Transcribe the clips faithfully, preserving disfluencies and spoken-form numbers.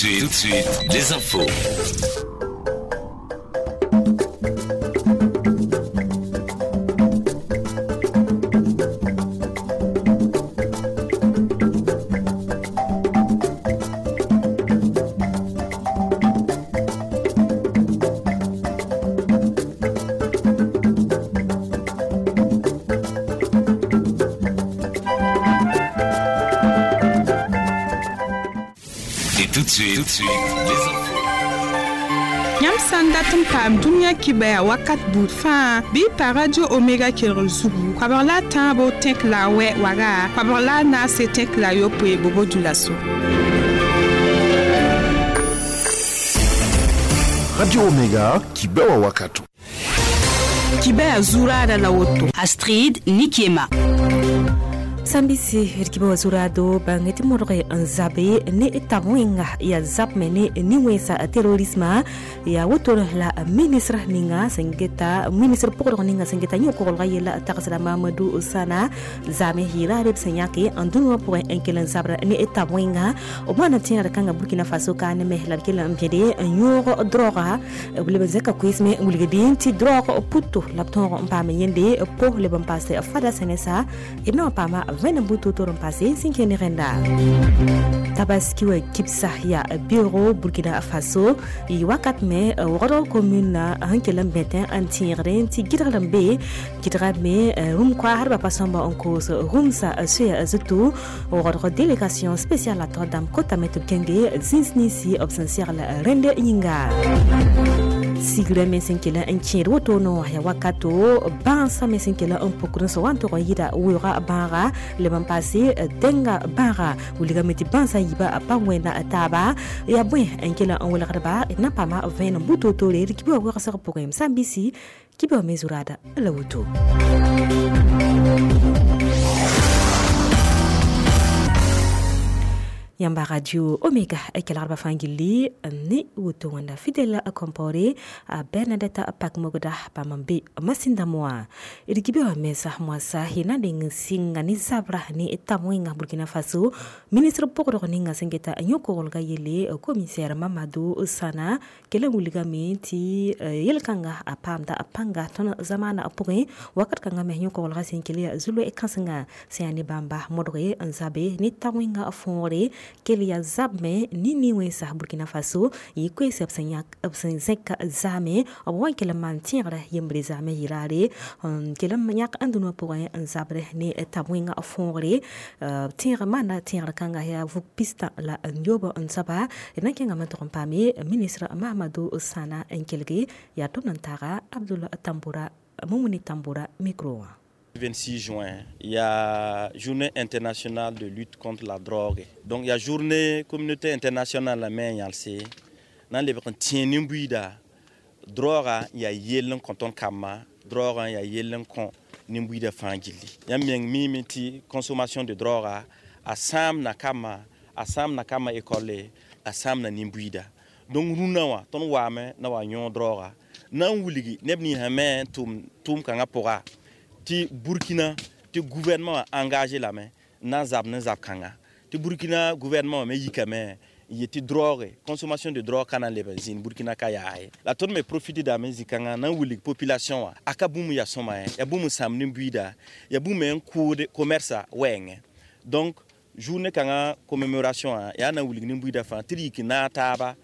suite, tout de suite, les infos. Tout de suite, tout de suite, les infos. Yãmb sã n dat n paam dũniyã kibaya wakat buud fãa bɩ pa Radio Omega kelgr zugu koabg la a tãabo tẽk la a wɛ waga koabg la a naase tẽk la a yopoe bobo dulaso. Radio Omega kibewa wakato. Kibaya zuraada la woto. Astrid Nikiema. Sambisi rkiba wazurado bangeti morge nzabe ne tabwenga ya zapme ne niwesa terrorisme ya wotor la ministre ninga sengeta ministre pokor ninga sengeta nyoko golga yela taksala Mamadou Sana zame hira reb senyake andunwa pour enkelen zabra ne tabwenga obana tina kanga Burkina Faso kan me la kela mpede nyoro droga blebe zeka kuisme ngulgedi ti droga puto lapton mpame yende po le passe fada senesa ibna pama vene butu toron passé sinkeni renda Tabaski wa kipsa ya bureau Burkina Faso i wakat me woro commune hankelam betin antirren ti gidralam be gidra me rum kwa harba pasamba en cause rumsa suya zutu woro délégation spéciale à tordam kota met kenge zinsnisi obsensier la rende yinga sigre me senkela n kẽed woto no ya wakato bãasa me sẽn kela n pukr n sã wa n tog n yɩda weooga bãaga leb n paase dẽnga bãaga wilgame tɩ bãasã yiiba pa wẽnda taaba yaa bõe n kela n welgdba d na n paama vẽenem bu-toor-toore d kibã wegsg pʋgẽ sã n bisi kibã me zuraada la woto. Yamba Radio Omega kelgrba fãa gilli ne woto wẽnda Fidèle Compaoré a Bernadette Pakmogda bãmb n be masĩndame wã d kibe wã mensa moasã y na n deng n sɩnga ne zabra ne tab wẽnga Burkina Faso ministre pʋgdg ninga sẽn geta yõ-koglga yelle commissaire Mamadou Sana kell n wilgame tɩ yel-kãnga a paamda a pãnga tõnd zamaana pʋgẽ wakat kãngã me yõ-koglga sẽn kell yaa zu-loe kãsenga sẽn yaa ne bãmba modge n zabe ne tab wẽnga võore kel ya zab me ni ni wẽnsa Burkina Faso yɩ koees b sẽn yãk b sẽn zẽk zaame b wa n kell n maan tẽegrã yembre zaame yɩraare n kell n yãk n dũniyã pʋgẽ n zabrẽ ne tab wẽnga võogre tẽeg maanda tẽegr kãnga yaa vug pistã la n yoob n soaba d na n kẽngame n tog n paame ministre Mamadou Sana n kelge yaa tʋmd n taaga Abdoul Tamboura Moumouni Tamboura micro wã. vingt-six juin, il y a journée internationale de lutte contre la drogue. Donc il y a journée communauté internationale la main yalse. Nan le tien nimbuida drogue il y a yelen konton kama, drogue il y a yelen kon nimbuida fangili. Ya meng mi miti consommation de drogue a sam na kama, a sam na kama école, a sam na nimbuida. Donc runa wa ton wa me na wa nyon drogue. Nan wuligi nebni ha me tum tum kanga pora. Ti Burkina ti gouvernement engagé la main na zab na zab kanga ti Burkina gouvernement me yika me yeti drogue consommation de drogue kana lebe zin Burkina ka ya la ton me profiter da me zikanga na wuli population wa aka bumu ya soma ya bumu sam ni buida ya bumu en cours de commerce wenge donc journée kanga commémoration ya na wuli ni buida fa ti yiki na taba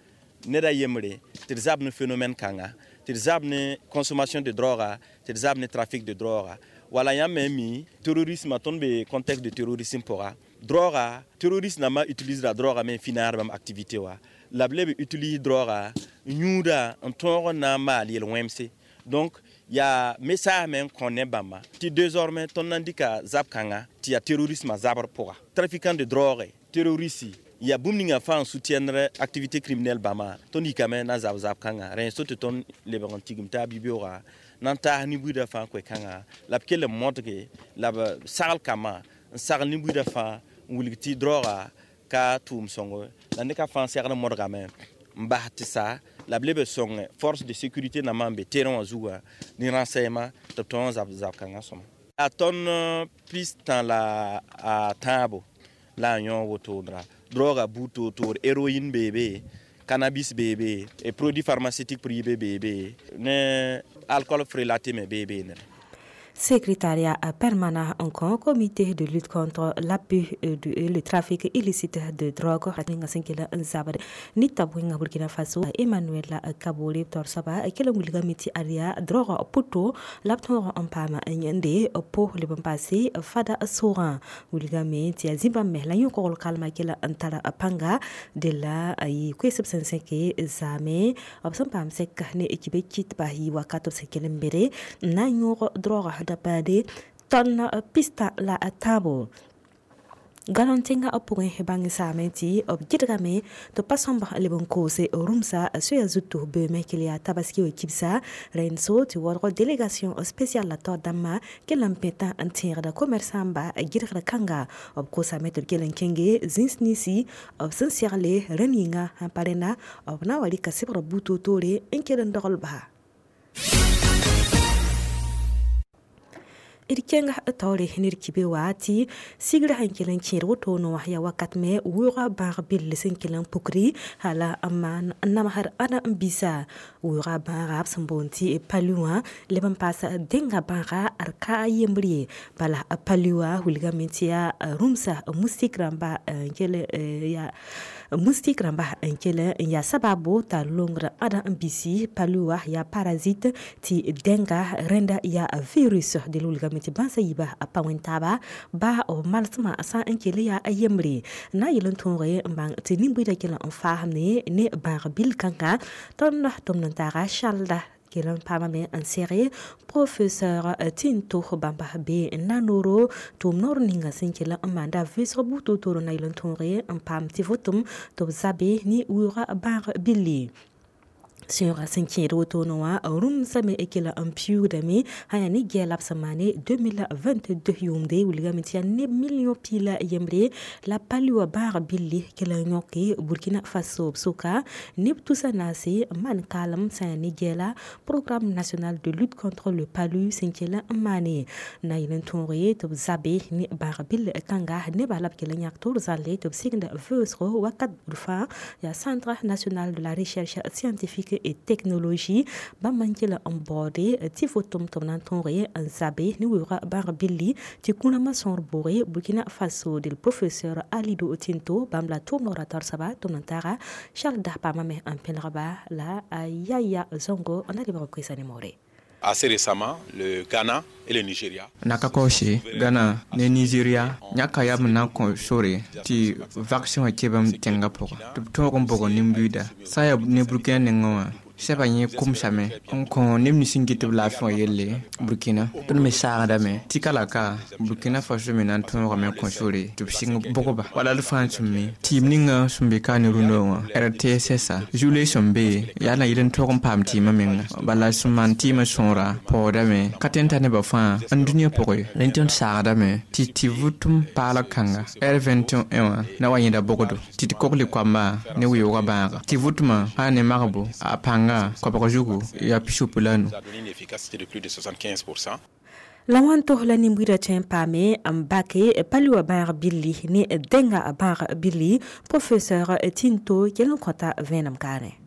ne da yemre ti zab ni phénomène kanga ti zab ni consommation de drogue ti zab ni trafic de drogue wala ya memi terrorisme ton be contexte de terrorisme pora drogue terroriste na ma utilise la drogue mais finir même activité wa la blebe utilise drogue nyuda en ton na ma li wemse donc il y a message même qu'on est bama ti désormais ton indica zab kanga ti ya terrorisme zabr pora trafiquant de drogue terroriste il y a boum ninga fa en soutiendre activité criminelle bama ton ikame na zab zab kanga ren sote ton le bantigim ta bibiora nan ta ni buida fa ko kanga la kele modge la sal kama sal ni buida fa wulgiti droga ka tum songo la ne ka fa serna modga me mbahti sa la blebe song force de sécurité na mambe terrain zuwa ni renseignement to ton zab zab kanga soma a ton piste la a tabo la yon wotodra Droga buto tor héroïne bébé cannabis bébé et produits pharmaceutiques privés bébé ne alcool frelaté me bébé ne. Secrétariat permanent en comité de lutte contre l'abus et le trafic illicite de drogue nita Burkina Faso Emmanuel Kabore torsaba kela wulga miti aria drogue puto lapton en pama nyande po le bon passé fada soran wulga miti Zimbabwe la yukol kalma kela antara panga de la yi kwesep senke zame obsam pam sek ne ekibe kit bahi wakato sekelembere na yuro drogue dabade ton pista la tabo galon tẽngã b pʋgẽ bãng saame tɩ b gɩdgame tɩ pa sõmb leb n koose rũmsa soya zutu beoome kell yaa tabaski wa kibsa rẽnd so tɩ waoodg délégation spéciale la taoor dãmbã kell n pẽtã n tẽegda commerçant-ba gɩdgr kãnga b kosame tɩ b kell n kẽnge zĩns ninsi b sẽn segle rẽnd yĩnga sãn pa rẽnda b na n wa rɩka sebgrã buud toor-toore n kell n dogl-ba. D kẽnga taoore ned kibe wa tɩ sigrã sẽn kell n kẽed woto wã yaa wakat me wʋʋga bãag bill sẽn kell n pukri hala n maan namsd ãda n bisa wʋʋga bãaga b sẽn boond tɩ palu wã leb n paas dẽnga bãaga d ka a yembr ye bala palu wã wilgame tɩ yaa rũmsa moustique rãmba n kell yaa moustique rãmba n kell n yaa sababo t'a longd ãda n bisi palu wã yaa parasite tɩ dẽnga rẽnda yaa virus del wilgame tɩ bãnsa yiiba a pa wẽn-taaba ba b malsmã sã n kell yaa a yembre na yel n tõoge n bãng tɩ nin-buiidã kell n faasme ne bãag bil kãnga tõnd tʋmd n taaga salda kell n paamame n sɛge professeur Tinto bãmba be nanoro tʋʋm noor ninga sẽn kell n maanda vɩʋsg buud toor-toor na yel n tõoge n paam tɩ vʋtem tɩ b zabe ne wʋʋga bãag billi. Sẽoogã sẽn kẽed wotone wã rũmsame kell n piuugdame sã yaa ne gɛɛ la b sẽn maane deux mille vingt-deux yʋʋmde wilgame tɩ yaa neb million piig la yembre la palu wã bãag billi kell n yõke Burkina Faso b sʋka neb tusa naase n maan kaalem sã yaa ne gɛɛ la programme national de lutte contre le palu sẽn kell n maane na yel n tõoge tɩ b zabe ne bãag bill kãnga nebã la b kell n yãk toor zãlle tɩ b sigd vɩʋsgo wakat bud fãa yaa Centre national de la recherche scientifique et technologie bãmb n kell n baoode tɩ vʋtem tɩ b na n tõoge n zabe ne weoogã bãag billi tɩ kũrãmã sõor bʋʋge Burkina Faso del professeur Alido Tinto bãmb la tʋʋm noorã tarsaba tʋm n taaga Charles da paamame n pẽlgba la Yaya Zongo n na lebg koɛɛsã ne moore. Assez récemment, le Ghana et le Nigeria. Nakakoshe, Ghana, ne Nigeria, nyaka yam na ko sore ti vaccin wa kebam tenga pʋga tɩ b tõog n bog nin-buiida sã n yaa ne Burkina nengẽ wã sɛba yẽ kʋmsame n kõ neb nins n get b laafɩ wã yelle Burkina tõnd me saagdame tɩ ka la ka Burkina Faso me na n tõogame kõ sore tɩ b sɩng bʋgba wala d fãa sẽn mi tɩɩm ninga sẽn be ka ne rũndã wã R T S S zule sẽn be yaa na yel n tog n paam tɩɩmã menga bala sẽn maan tɩɩmã sõora paoodame ka tõe n ta nebã fãa n dũniyã pʋgẽ rẽnd tõnd saagdame tɩ tɩ vʋtem paalg kãnga R vingt et un wã na wa yẽda bʋgdo tɩ tɩ kogl koamba ne weoogã bãaga tɩ vʋtmã sã ne magbo a pãnga kobg zugu yaa pisopo la nu. La wãn tos la nin-buiidã tõe n paame n bake palu wã bãag billi ne dẽnga bãag billi professeur Tinto kell n kõta vẽenem kaarẽ.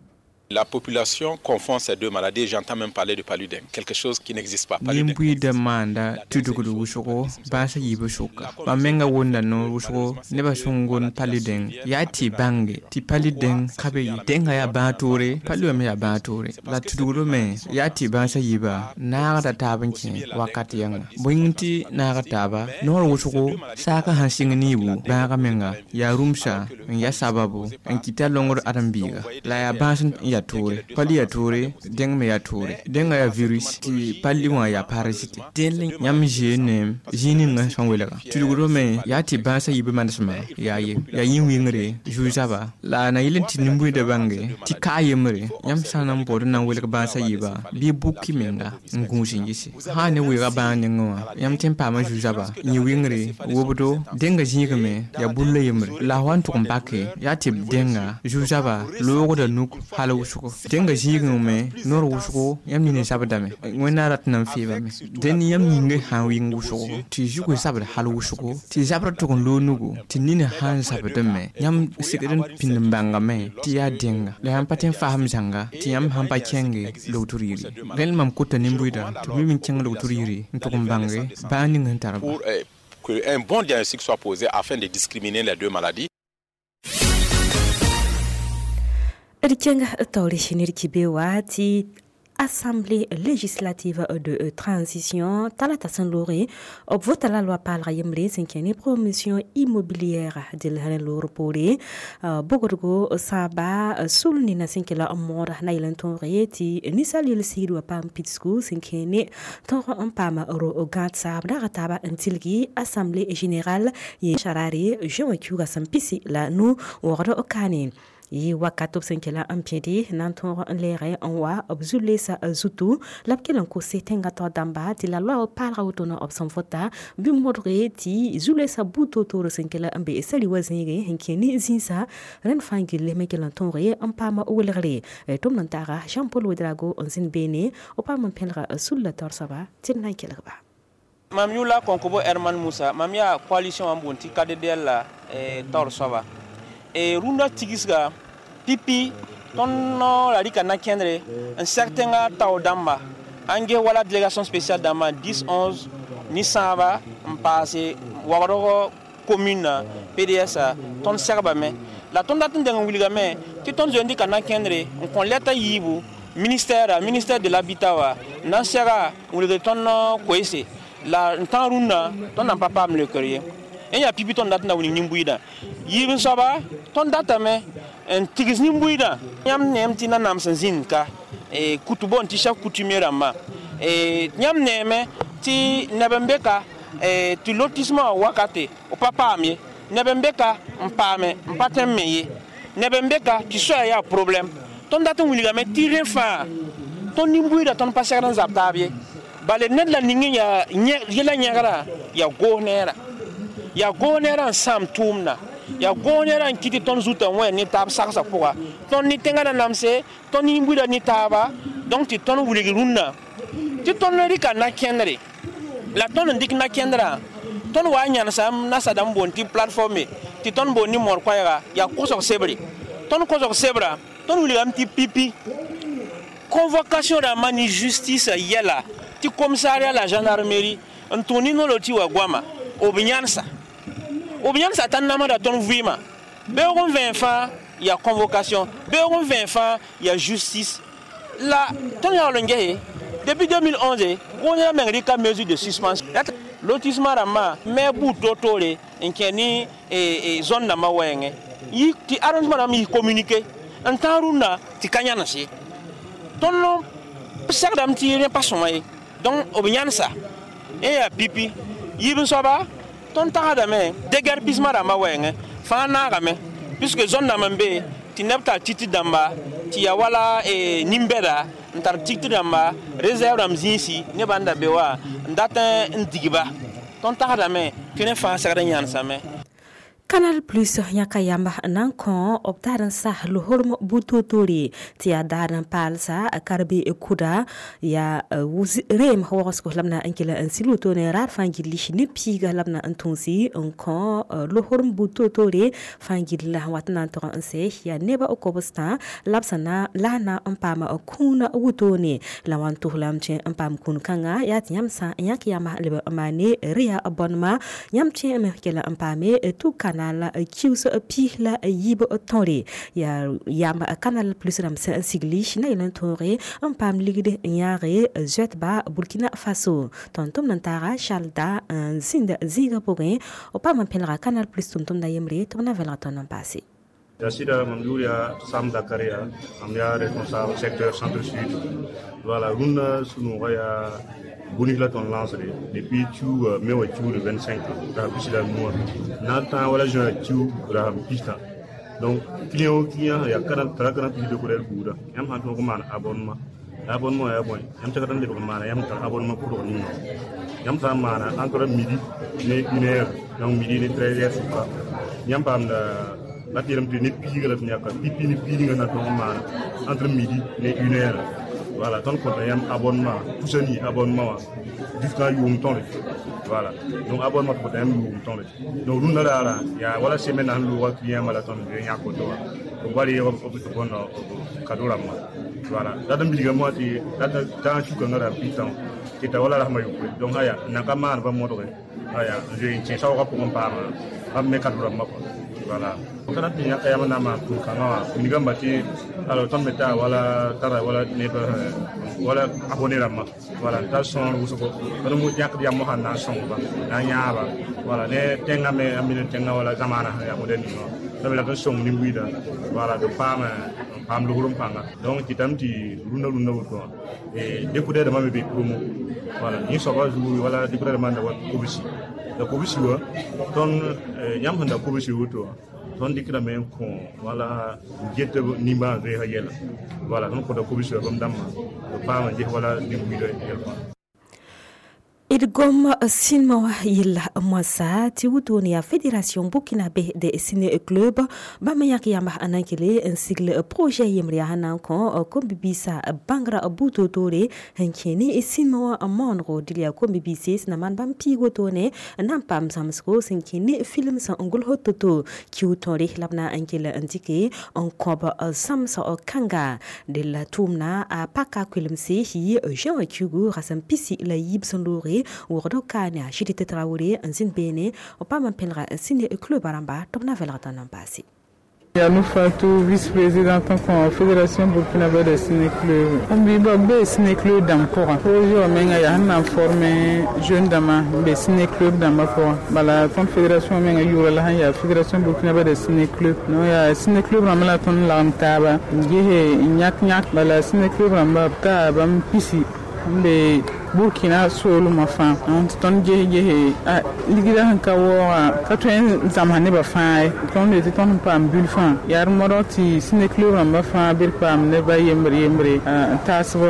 La population confond ces deux maladies. J'entends même parler de paludin, quelque chose qui n'existe pas. Nin-buiidã maanda tudgd wʋsgo bãasã yiibã sʋka bãmb menga wʋnda noor wʋsgo nebã sẽn gond paludin yaa tɩ bãnge tɩ paludin ka be ye dẽnga yaa bãag toore palu wã me yaa bãag toore la tudgdme yaa tɩ bãasã yiibã naagda taab n kẽ wakat yãnga bõe tɩ naag taaba noor wʋsgo saakã sãn sɩng niibu bãagã menga yaa rũmsa n ya sababu n kɩta longd ãdem-biiga la yaa bãas n yaa toore pali yaa toore dẽng me yaa toore dẽngã yaa virus tɩ pali wã yaa parasite dẽnd yãmb zeene zĩig ninga sẽn welga tudgdme yaa tɩ bãasã yiibã manesmã yaa ye yaa yĩn-wingre zu-zaba la na yel n tɩ nin-buiidã bãnge tɩ ka a yembre yãmb sã n na n baood n na n welg bãasã yiibã bɩ buki menga n gũus n yɩse sã n ne weoogã bãag nengẽ wã yãmb tõe n paama zu-zaba yĩ-wingre wobdo dẽngã zĩigame yaa bulla yembre la f wa n tʋg n bake yaa tɩ b dẽnga zu-zaba loogda nuk hal wʋsgo. wʋsgo dẽnga zĩigẽ me noor wʋsgo yãmb nina zabdame wẽnnaam rat n na n feebame dẽnd yãmb yĩngã sã n wɩng wʋsgo tɩ zugã zabd hal wʋsgo tɩ zabrã tʋg n loog nugu tɩ nina sã n zabdẽ me yãmb segd n pĩnd n bãngame tɩ yaa dẽnga la yãmb pa tõe n fasem zãnga tɩ yãmb sãn pa kẽnge logtr yiri rẽnd mam kota nin-buiidã tɩ b mim n kẽng logtr yiri n tʋg n bãnge bãag ning sẽn tar ba. Pour euh, qu'un bon diagnostic soit posé afin de discriminer les deux maladies. D kẽnga taoore ned kɩ wa tɩ Assemblée législative de transition talata sẽn looge b vota la loi paalga yembre sẽn kẽ ne promotion immobilière dɩl rẽ loor poore bogdgo sãaba sul nina sẽn kela n moora na yel n tõoge tɩ ninsaal yel-sigd wa paam pidsgu sẽn kẽ ne tõog n paam ro gãad saab rag taaba n tilgi assemblée générale yẽ sarare juin wã kiuga sẽn pisi la nu wogd kaane yi wakat b sẽn kela n pẽde na n tõog n lɛɛge n wa b zu-leesa zutu la b kell n kose tẽngã tao dãmba tɩ la loa paalga wotone b sẽn vota bɩ modge tɩ zu-leesa buud toor-toor sẽn kela n be sari wa zẽege sẽn kẽ ne zĩisa rẽnd fãa gilli me kell n tõoge n paam welgre tʋmd n taaga Jean-Paul Ouedraogo n zĩnd beene b paam n pẽlga sulla taoor soaba tɩ d na n kelg ba. Mam yʋla Konkobo Herman Musa, mam yaa coalition wã n boond tɩ K D D L la taoor soaba. Rũndã tigsga pipi tõnd la rɩka na-kẽndre n sɛg tẽngã tao dãmba n ges wala délégation spéciale dãmbã dix onze ne sãaba n paase wagdg commune P D S tõnd sɛgbame la tõnd dat n deng n wilgame tɩ tõnd zoe n dɩka na-kẽndre n kõ lɛta yiibu ministère ministère de l'habitat wa n na n sɛga n wilgd tõnd koeese la n tã rũndã tõnd na n pa paam leokr ye. N yaa pipi tõnd dat n na wilg nin-buiidã yiib n soaba tõnd datame n tigs nin-buiidã yãmb neem tɩ nanam sẽn zĩnd ka kutu boond tɩ chef coutumier rãmbã yãmb neeme tɩ neb n be ka tɩ lotissement wã wakate b pa paam ye neb n be ka n paame n pa tõe n me ye neb n be ka tɩ soaya yaa problème tõnd dat n wilgame tɩ rẽ fãa tõnd nin-buiidã tõnd pa segd n zab taab ye bala ned la ning yaa yɛla yẽgrã yaa goos neera yaa goos neerã n sãam tʋʋmda yaa goos neerã n kɩt tɩ tõnd zutã wẽ ne taab sagsã pʋga tõnd ne tẽngã na namse tõnd nin-buiidã ne taaba donc tɩ tõnd wilg rũndã tɩ tõnd rɩka na-kẽndre la tõnd n dɩk na-kẽndrã tõnd wa n yãnesa nasa dãmb boond tɩ plateforme tɩ tõnd boond ne moor koɛɛga yaa kosg sebre tõnd kosg sebra tõnd wilgame tɩ pipi convocation rãmbã ne justice yɛla tɩ commissariat la gendarmerie n tʋg ne nolor tɩ wa goama b yãnesa b yãnesa t'a namsda tõnd vɩɩmã beoog n vẽen fãa yaa convocation beoog n vẽen fãa yaa justice la tõnd yaool n gese depuis deux mille onze gõosã meng rɩka mesure de suspension lotissement rãmbã me buud toor-toore n kẽ ne zone dãmbã wɛɛngẽ tɩ arrondissement rãmb yis communiqué n tãag rũndã tɩ ka yãnes ye tõnd segdame tɩ rẽ pa sõma ye donc b yãnesa n yaa pipi yiib n soaba tõnd tagsdame déguerpissement rãmbã wɛɛngẽ fãa naagame puisque zone dãmb n be tɩ neb tar titi dãmba tɩ yaa wala nin-bɛda n tar tigtr dãmba réserve rãmb zĩisi nebã n da be wa n dat n digba tõnd tagsdame tɩ rẽ fãa segd n yãnesame. Canal Plus yãka yamba nan kõ b daar n sas lohorem bu-toor-toore tɩ yaa daar n paalsa karbe kuda yaa reem wagsgo la b na n kell n sil wotone raad fãa gilli ne piiga la b na n tũusi n kõ lohorem bu-toor-toore fãa gill la wat na n tog n sɛ yaa neba b kobstã la b sẽn na la na n paam kũuna wotone la wa n tos lame tɩ n paam kũun kãnga yaa tɩ yãmb sã n yãk yamba leb n maane reya bõnema yãmb tẽ me kell n paame tʋ kana la kius pi la yiib tõre yaa yamba Canal Plus rãmb sẽn sigli na yel n tõoge n paam ligd n yãage zoɛtba Burkina Faso tõnd tʋmd n taaga Charles n zĩnd zĩigã pʋgẽ b paam n pẽlga Canal Plus tʋm-tʋmda yembre tɩ b na vẽlg tõnd n paase. Sida mam yʋʋr yaa Sam Zakaria, mam yaa responsable secteur centre-sud. Voilà, rũndã sũ-noogã yaa bonus la tõnd lancre depuis kiuuga me wa kiuug vingt-cinq ra pis la nu wã na n tãag wala juin kiuug ra pistã. Donc client o client yaa tara Canal Plus décodeur buuda yãmb sãn tõog n maan abonnement abonnement yaa bõe yãmb tẽgd n lebg n maana yãmb tar abonnement pʋdg ninga yãmb sã n maana entre midi ne une heure, donc midi ne treize heures sʋka yãmb paamda La tɩ yeelame tɩ ne piiga la tɩ yãka pipi ne piidgã na tõog n maana entre midi ne une heure. Voilà, tõnd kõta yãmb abonnement tusa nii abonnement wã jusqu'à yʋʋm tõre. Voilà, donc abonnement tɩ kõta yãmb yʋʋm tõre. Donc rũndã raara yaa wala semaine na sẽn loogã client wã la tõnd zoe yãk woto wã b wa reeg b bõnd kado rãmbã. Voilà, dat n bilgame wã tɩ dat tãag sukãngã ra pɩtã tɩ ta wala rasmã yopoe. Donc aya n nan ka maan pa modge aya n zoe n kẽ saoogã pʋgẽ paama bãmb me kado rãmbã kɔa. Voilà, kana tɩ yãka yam na n maan tʋʋm-kãngã wã wilgame tɩ alors tõnd me taa wala tara wala neb wala abonné rãmbã. Voilà, n tar sõor wʋsgo tõnd yãkd yam sãn na n sõngba na n yãaba. Voilà, ne tẽngã me a mine tẽngã wala zamaana sẽn yaa moderne wã la me la n sõng nin-buiidã. Voilà, tɩ paam n paam logr n pãnga. Donc kɩtame tɩ rũndã rũndã woto wã découdeur dãmbã me be promo. Voilà, yẽ soabã zugu wala découdeur dãmbã n da wa kobsi la kobsi wã tõnd yãmb sẽn da kobsi woto wã tõnd dɩkdame n kõ wala get nimbãan zoeesã yɛla. Voilà, tõnd kõta kobsi wã bãmb dãmbã b paam n ges wala nin-buiidã yɛl fãa. D gom sĩnema wã yella moasã tɩ wotone yaa fédération burkinabé de ciné club bãmb yãk yamba n na n kele n sigl projet yembre yaa sẽn na n kõ kom-bibiisã bãngrã bu-toor-toore n kẽ ne sĩnema wã maonego dɩl yaa kom-bibiise sẽn na maan bãmb piig wotone n na n paam zãmsgo sẽn kẽ ne film sẽn n gʋls to-to kiu tõore la b na n kell n dɩke n kõb zãmsg kãnga del tʋʋmna a paka koelemse yɩ juin wã kiugu rasem pisi la yiib sẽn looge wogdo ka ne a Judith Traoré n zĩnd beene b paam n pẽlga ciné club rãmba tɩ b na vɛlgd n paase. Yanou Fatou, vice-présidente en Fédération burkinabé de ciné-club. On vit be ciné-club dãmb pʋgã. Projet wã menga yaa sẽn na n forme jeune dãmbã n be ciné-club dãmbã pʋgã. Bala tõnd fédération menga yʋʋra la sẽn yaa Fédération burkinabé de ciné-club. No yaa ciné-club rãmba la tõnd lagem taaba n gese n yãk yãk. Bala ciné-club rãmba b taa bãmb pisi n be Burkina soolmã fãa. Tɩ tõnd ges gese a ligrã sẽn ka waoogã ka tõe n zãmsa nebã fãa ye. Tõnd yetɩ tõnd sẽn paam bil fãa yaa d modg tɩ ciné-club rãmbã fãa bɩ d paam nebã yembre yembre n taasb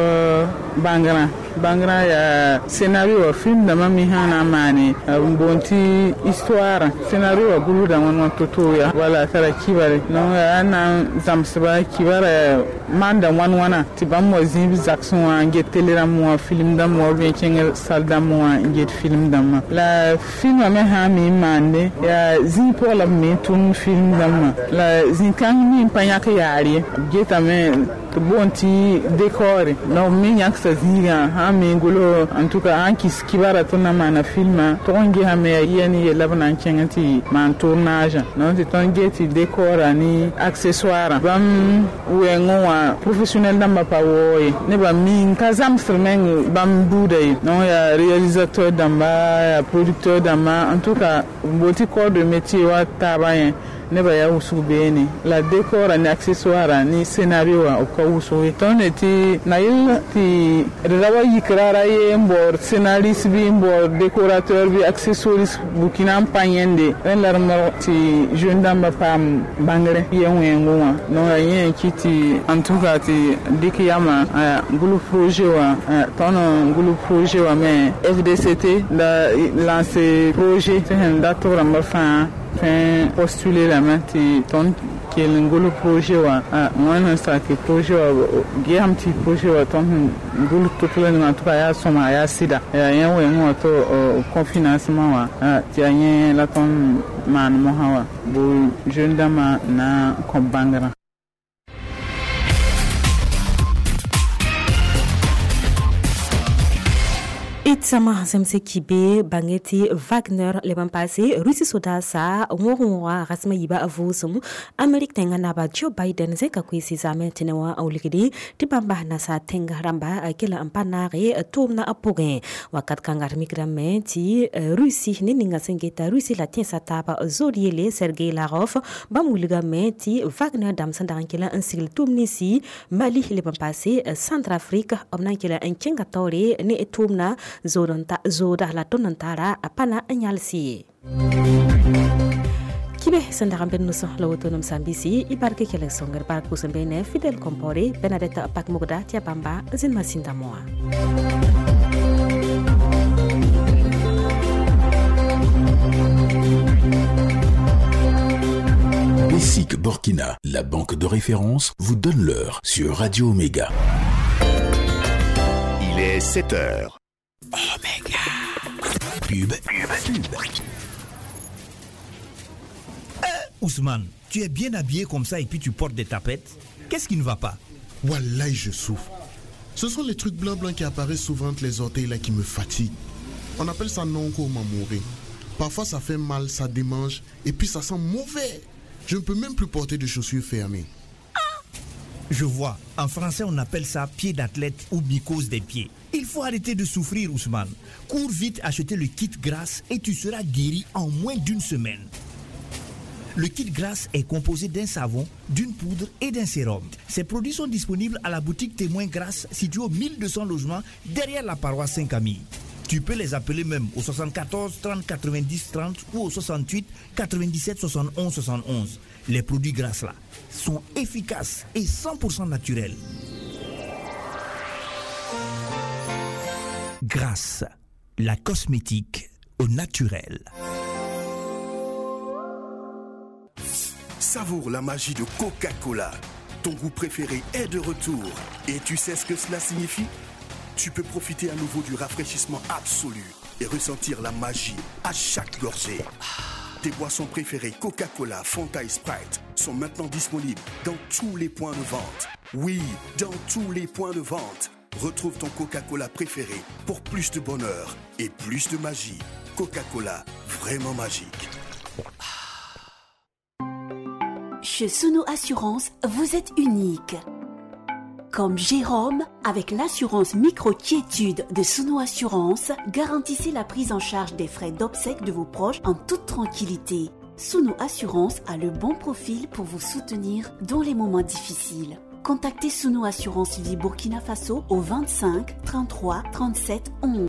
bãngrã. Bãngrã yaa scénario wã film dãmbã me sã na n maane n boond tɩ histoire scénario wã gʋlsda wãn wã to-to ya wala tara kibare. Donc yaa na n zãmsba kibara maanda wãn wãna tɩ bãmb wa zĩ b zagsẽ wã n get télé rãmb wã film dãmb wã bien kẽng sal dãmb wã n get film dãmbã. La filmã me sã n me n maande yaa zĩig pʋgã la b me n tʋmd film dãmbã. La zĩ-kãng me n pa yãk yaar ye b getame tɩ boond tɩ décor. Donc b me yãksa zĩigã sã n me n gʋls en tout cas sã n kɩs kibara tɩ na maana filmã tʋg n gesame yaa yɛ ne yella b na n kẽng tɩ maan tournage. Donc tɩ tõnd get tɩ décor ne accessoire bãmb wɛɛngẽ wã professionnel dãmbã pa waoog ye nebã mi n ka zãmsd meng bãmb buuda ye. Donc yaa réalisateur dãmba yaa producteur dãmba en tout cas n boond tɩ corps de métier wa taabã yẽ nebã yaa wʋsg beene. La décor ne accessoire ne scénario wã b ka wʋsg ye. Tõnd ne tɩ na yell tɩ d ra wa yik rara ye n baood scénariste bɩ n baood décorateur bɩ accessoiriste Burkina n pa yẽnde rẽnd la d modg tɩ jeune dãmbã paam bãngre yɛ wẽengẽ wã. Donc yaa yẽ n kɩt tɩ en tout cas tɩ dɩk yamã gʋls projet wã tõnd n gʋls projet wã me F D C T la lancé projet tɩ sẽn dat b rãmbã fãa tõe postuler lame tɩ tõnd kell n gʋls projet wã wãn sẽn sak projet wã gesame tɩ projet wã tõnd sẽn gʋls to-to la ninga en tout cas yaa sõma yaa sɩda yaa yẽ wẽngẽ wã tɩ confinancement wã tɩ yaa yẽ la tõnd maan mosã wã bo jeune dãmbã na n kõ bãngrã. Itsama zemse kibe bangeti Wagner leban passé Russie soda sa wõg-wõga rasma yiba vʋʋsem Amerik tẽngã naba Joe Biden zẽka koeese zaame tẽne wã n wilgde tɩ bãmba nasa tẽng rãmba kela n pa naage tʋʋmdã pʋgẽ wakat kãnga d mikrame tɩ Russie ne ninga sẽn geta Russie la tẽnsã taaba zood yele Sergei Lavrov bãmb wilgame tɩ Wagner dãmb sẽn dag n kela n sigl tʋʋm ninsi Mali leb n paase Centrafrique b na n kela n kẽnga taoore ne tʋʋmdã zooda la tõnd n tara a pa na n yals ye. Kibe sẽn dag n bed nusẽ la woto nem sãn-biisi y bark kelg sõngr bark pʋsẽ beene Fidel Compaoré Bernadette Pakmogda tɩ yaa bãmba n zĩnd masĩndã moa. B C SIC Burkina, la banque de référence, vous donne l'heure sur Radio Omega. Il est sept heures. Omega. Pub, pub, pub. Euh, Ousmane, tu es bien habillé comme ça et puis tu portes des tapettes. Qu'est-ce qui ne va pas? Wallahi, je souffre. Ce sont les trucs blancs blancs qui apparaissent souvent entre les orteils là qui me fatiguent. On appelle ça nonko mamouré. Parfois ça fait mal, ça démange et puis ça sent mauvais. Je ne peux même plus porter de chaussures fermées. Je vois. En français, on appelle ça pied d'athlète ou mycose des pieds. Il faut arrêter de souffrir, Ousmane. Cours vite acheter le kit Grâce et tu seras guéri en moins d'une semaine. Le kit Grâce est composé d'un savon, d'une poudre et d'un sérum. Ces produits sont disponibles à la boutique Témoin Grâce située au mille deux cents logements derrière la paroisse Saint-Camille. Tu peux les appeler même au soixante-quatorze trente quatre-vingt-dix trente ou au soixante-huit quatre-vingt-dix-sept soixante et onze soixante et onze. Les produits Grâce là sont efficaces et cent pour cent naturels. Grâce, la cosmétique au naturel. Savoure la magie de Coca-Cola. Ton goût préféré est de retour. Et tu sais ce que cela signifie? Tu peux profiter à nouveau du rafraîchissement absolu et ressentir la magie à chaque gorgée. Tes boissons préférées Coca-Cola, Fanta et Sprite sont maintenant disponibles dans tous les points de vente. Oui, dans tous les points de vente. Retrouve ton Coca-Cola préféré pour plus de bonheur et plus de magie. Coca-Cola, vraiment magique. Chez Sono Assurance, vous êtes unique. Comme Jérôme, avec l'assurance micro-quiétude de Sono Assurance, garantissez la prise en charge des frais d'obsèques de vos proches en toute tranquillité. Sono Assurance a le bon profil pour vous soutenir dans les moments difficiles. Contactez Sono Assurance Vie Burkina Faso au vingt-cinq trente-trois trente-sept onze.